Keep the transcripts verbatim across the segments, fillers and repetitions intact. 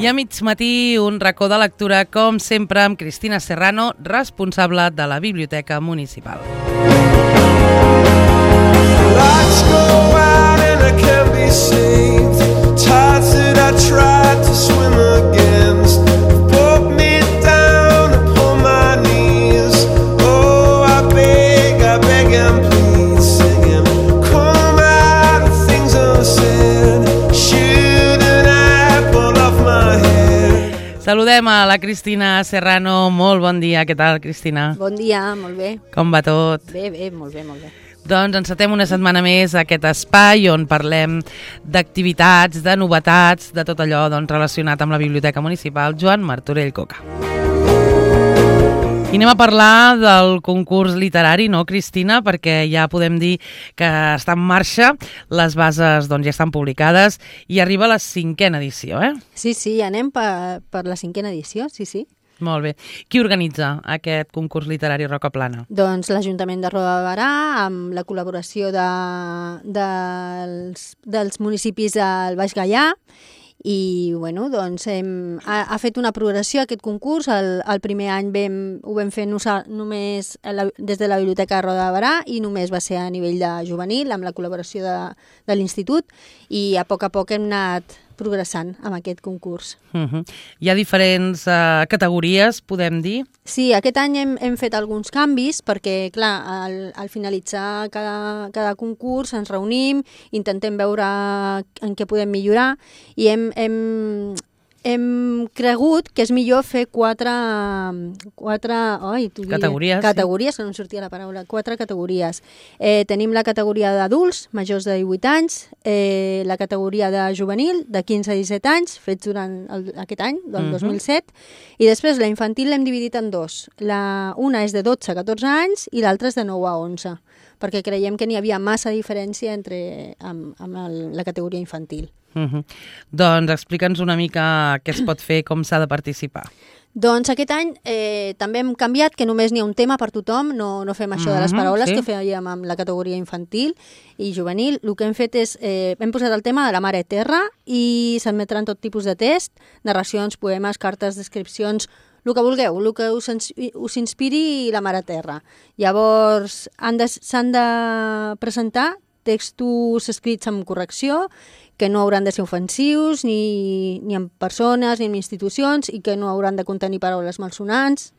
I a mig matí, un racó de lectura, com sempre, amb Cristina Serrano, responsable de la Biblioteca Municipal. Lights go out and I can't be saved. Tides that I tried to swim against brought me down upon my knees. Oh, I beg, I beg and please, singing, come out of things unsaid. Shoot an apple off my head. Saludem a la Cristina Serrano. Molt bon dia. Què tal, Cristina? Bon dia, molt bé. Com va tot? Bé, bé, molt bé, molt bé. Doncs encetem una setmana més aquest espai on parlem d'activitats, de novetats, de tot allò doncs, relacionat amb la Biblioteca Municipal Joan Martorell Coca. I anem a parlar del concurs literari, no, Cristina? Perquè ja podem dir que està en marxa, les bases doncs, ja estan publicades i arriba la cinquena edició, eh? Sí, sí, anem per, per la cinquena edició, sí, sí. Molt bé. Qui organitza aquest concurs literari Roca Plana? Doncs l'Ajuntament de Roda de Berà, amb la col·laboració de, dels, dels municipis del Baix Gaià, i bueno, doncs hem, ha, ha fet una progressió aquest concurs. El, el primer any vam, ho vam fer nosa, només la, des de la Biblioteca de Roda de Berà i només va ser a nivell de juvenil, amb la col·laboració de, de l'Institut, i a poc a poc hem anat progressant amb aquest concurs. Uh-huh. Hi ha diferents uh, categories, podem dir? Sí, aquest any hem, hem fet alguns canvis perquè, clar, al, al finalitzar cada, cada concurs ens reunim, intentem veure en què podem millorar i hem, hem, hem cregut que és millor fer quatre, quatre oi, tu categories, categories, sí. Que no em sortia la paraula, quatre categories. Eh, tenim la categoria d'adults, majors de divuit anys, eh, la categoria de juvenil, de quinze a disset anys, fets durant el, aquest any, del uh-huh. dos mil set, i després la infantil l'hem dividit en dos. La, una és de dotze a catorze anys i l'altra és de nou a onze, perquè creiem que n'hi havia massa diferència entre, amb, amb el, la categoria infantil. Uh-huh. Doncs explica'ns una mica què es pot fer, com s'ha de participar. Doncs aquest any eh, també hem canviat, que només n'hi ha un tema per tothom, no, no fem això de les paraules uh-huh, sí. que fèiem amb la categoria infantil i juvenil. El que hem fet és, eh, hem posat el tema de la Mare Terra i s'admetran tot tipus de test, narracions, poemes, cartes, descripcions, el que vulgueu, el que us, us inspiri la Mare Terra. Llavors s'han de, s'han de presentar textos escrits amb correcció, que no hauran de ser ofensius ni, ni en persones ni en institucions i que no hauran de contenir paraules malsonants.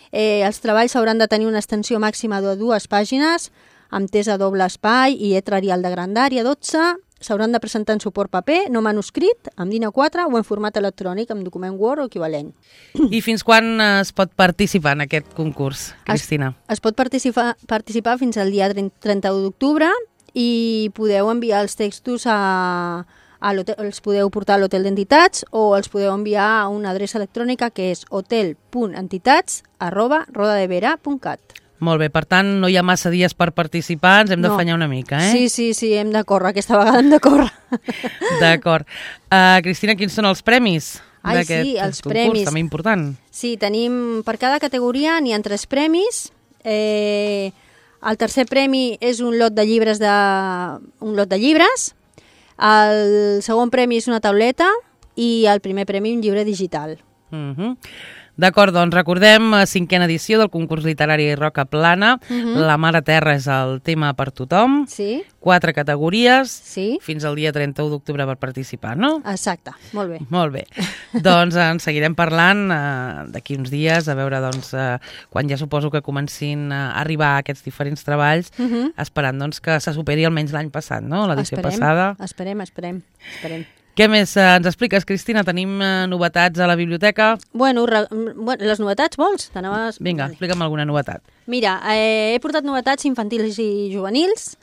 Eh, els treballs hauran de tenir una extensió màxima de dues pàgines, amb test a doble espai i lletra Arial de grandària dotze. S'hauran de presentar en suport paper, no manuscrit, amb DIN A quatre o en format electrònic, amb document Word o equivalent. I fins quan es pot participar en aquest concurs, Cristina? Es, es pot participar, participar fins al dia trenta-u d'octubre, i podeu enviar els textos a, a l'hotel, els podeu portar a l'hotel d'entitats o els podeu enviar a una adreça electrònica que és hotel punt entitats arroba rodadevera punt cat. Molt bé, per tant, no hi ha massa dies per participar, ens hem no. d'afanyar una mica, eh? Sí, sí, sí, hem de córrer, aquesta vegada hem de córrer. D'acord. Uh, Cristina, quins són els premis Ai, d'aquest sí, els concurs? Premis. També important. Sí, tenim, per cada categoria n'hi ha tres premis. Eh... El tercer premi és un lot de llibres, de, un lot de llibres, el segon premi és una tauleta i el primer premi un llibre digital. Uh-huh. D'acord, doncs recordem, cinquena edició del concurs literari Roca Plana. Uh-huh. La Mare Terra és el tema per tothom. Sí. Quatre categories. Sí. Fins al dia trenta-u d'octubre per participar, no? Exacte, molt bé. Molt bé. Doncs en seguirem parlant uh, d'aquí uns dies, a veure, doncs, uh, quan ja suposo que comencin a arribar aquests diferents treballs, uh-huh. esperant doncs, que se superi almenys l'any passat, no? L'edició passada. Esperem, esperem, esperem. Què més eh, ens expliques, Cristina? Tenim eh, novetats a la biblioteca? Bueno, re, bueno les novetats vols? T'anaves... Vinga, explica'm alguna novetat. Mira, eh, he portat novetats infantils i juvenils,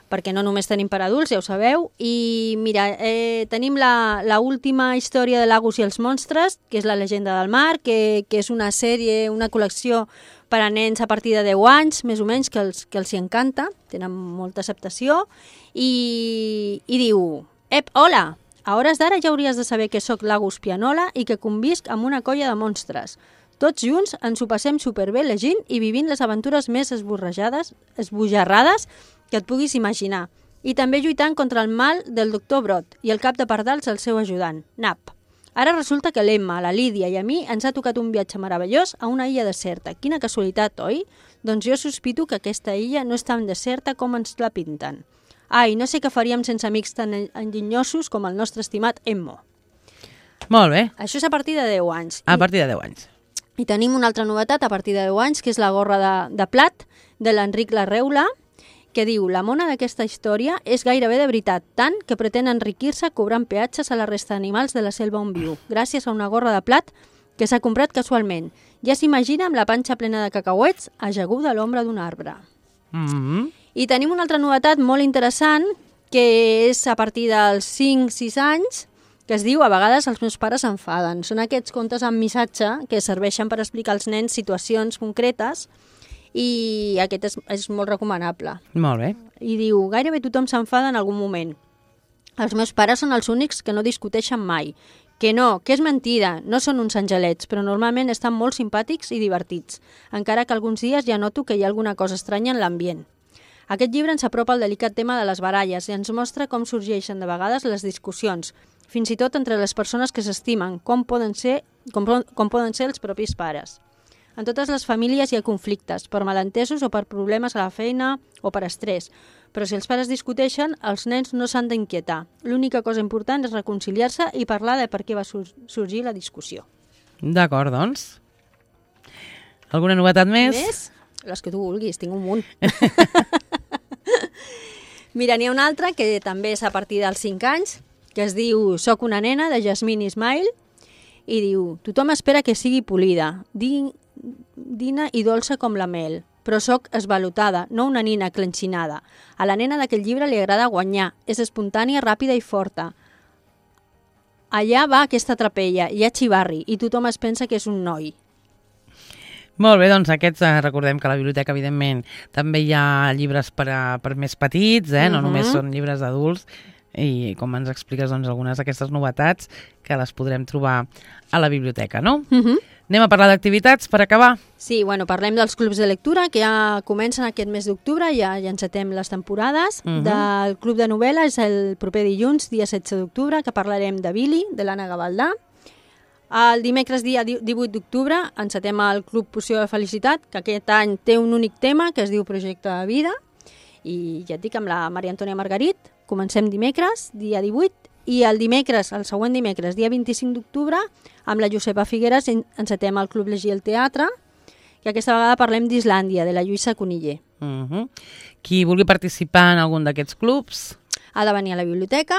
perquè no només tenim per adults, ja ho sabeu, i mira, eh, tenim la, la última història de Lagos i els monstres, que és la llegenda del mar, que, que és una sèrie, una col·lecció per a nens a partir de deu anys, més o menys, que els, que els hi encanta, tenen molta acceptació, i, i diu, ep, hola! A hores d'ara ja hauries de saber que sóc Lagos Pianola i que convisc amb una colla de monstres. Tots junts ens ho passem superbé llegint i vivint les aventures més esborrejades, esbojarrades que et puguis imaginar. I també lluitant contra el mal del doctor Brot i el cap de pardals el seu ajudant, Nap. Ara resulta que l'Emma, la Lídia i a mi ens ha tocat un viatge meravellós a una illa deserta. Quina casualitat, oi? Doncs jo sospito que aquesta illa no és tan deserta com ens la pinten. Ai, no sé què faríem sense amics tan enginyosos com el nostre estimat Emmo. Molt bé. Això és a partir de deu anys. A partir de deu anys. I tenim una altra novetat a partir de deu anys, que és la gorra de, de plat de l'Enric Larreula, que diu: la mona d'aquesta història és gairebé de veritat, tant que pretén enriquir-se cobrant peatges a la resta d'animals de la selva on viu, gràcies a una gorra de plat que s'ha comprat casualment. Ja s'imagina amb la panxa plena de cacauets ajaguda a l'ombra d'un arbre. Mm-hmm. I tenim una altra novetat molt interessant, que és a partir dels cinc sis anys, que es diu: a vegades els meus pares s'enfaden. Són aquests contes amb missatge que serveixen per explicar als nens situacions concretes, i aquest és, és molt recomanable. Molt bé. I diu: gairebé tothom s'enfada en algun moment. Els meus pares són els únics que no discuteixen mai. Que no, que és mentida, no són uns angelets, però normalment estan molt simpàtics i divertits, encara que alguns dies ja noto que hi ha alguna cosa estranya en l'ambient. Aquest llibre ens apropa al delicat tema de les baralles i ens mostra com sorgeixen de vegades les discussions, fins i tot entre les persones que s'estimen, com poden ser, com, com poden ser els propis pares. En totes les famílies hi ha conflictes, per malentesos o per problemes a la feina o per estrès. Però si els pares discuteixen, els nens no s'han d'inquietar. L'única cosa important és reconciliar-se i parlar de per què va sur- sorgir la discussió. D'acord, doncs. Alguna novetat més? Més? Les que tu vulguis, tinc un munt. Mira, n'hi ha una altra que també és a partir dels cinc anys, que es diu Soc una nena, de Jasmine Ismail, i diu: tothom espera que sigui polida, din, dina i dolça com la mel, però sóc esvalotada, no una nina clenxinada. A la nena d'aquell llibre li agrada guanyar, és espontània, ràpida i forta. Allà va aquesta trapella, hi ha xivarri, i tothom es pensa que és un noi. Molt bé, doncs aquests, eh, recordem que a la biblioteca, evidentment, també hi ha llibres per, a, per més petits, eh? No Mhm. només són llibres d'adults, i com ens expliques, doncs, algunes d'aquestes novetats que les podrem trobar a la biblioteca, no? Mhm. Anem a parlar d'activitats per acabar. Sí, bueno, parlem dels clubs de lectura que ja comencen aquest mes d'octubre, ja, ja encetem les temporades. Mhm. Del club de novel·la és el proper dilluns, dia setze d'octubre, que parlarem de Billy, de l'Anna Gavaldà. El dimecres, dia divuit d'octubre, encetem el Club Poció de Felicitat, que aquest any té un únic tema, que es diu Projecte de Vida. I ja et dic, amb la Maria Antònia Margarit, comencem dimecres, dia divuit, i el dimecres, el següent dimecres, dia vint-i-cinc d'octubre, amb la Josepa Figueres encetem el Club Llegir el Teatre, que aquesta vegada parlem d'Islàndia, de la Lluïsa Coniller. Uh-huh. Qui vulgui participar en algun d'aquests clubs? Ha de venir a la biblioteca,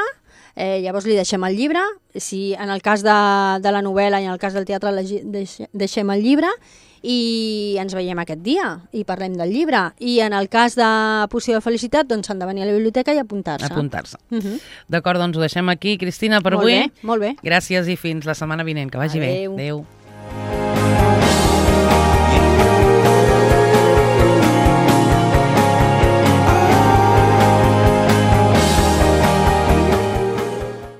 eh, llavors li deixem el llibre, si en el cas de, de la novel·la i en el cas del teatre legi, deix, deixem el llibre, i ens veiem aquest dia i parlem del llibre. I en el cas de Poció de Felicitat, doncs han de venir a la biblioteca i apuntar-se. Apuntar-se. Uh-huh. D'acord, doncs ho deixem aquí, Cristina, per molt avui. Bé, molt bé. Gràcies i fins la setmana vinent. Que vagi Adeu. bé. Adéu.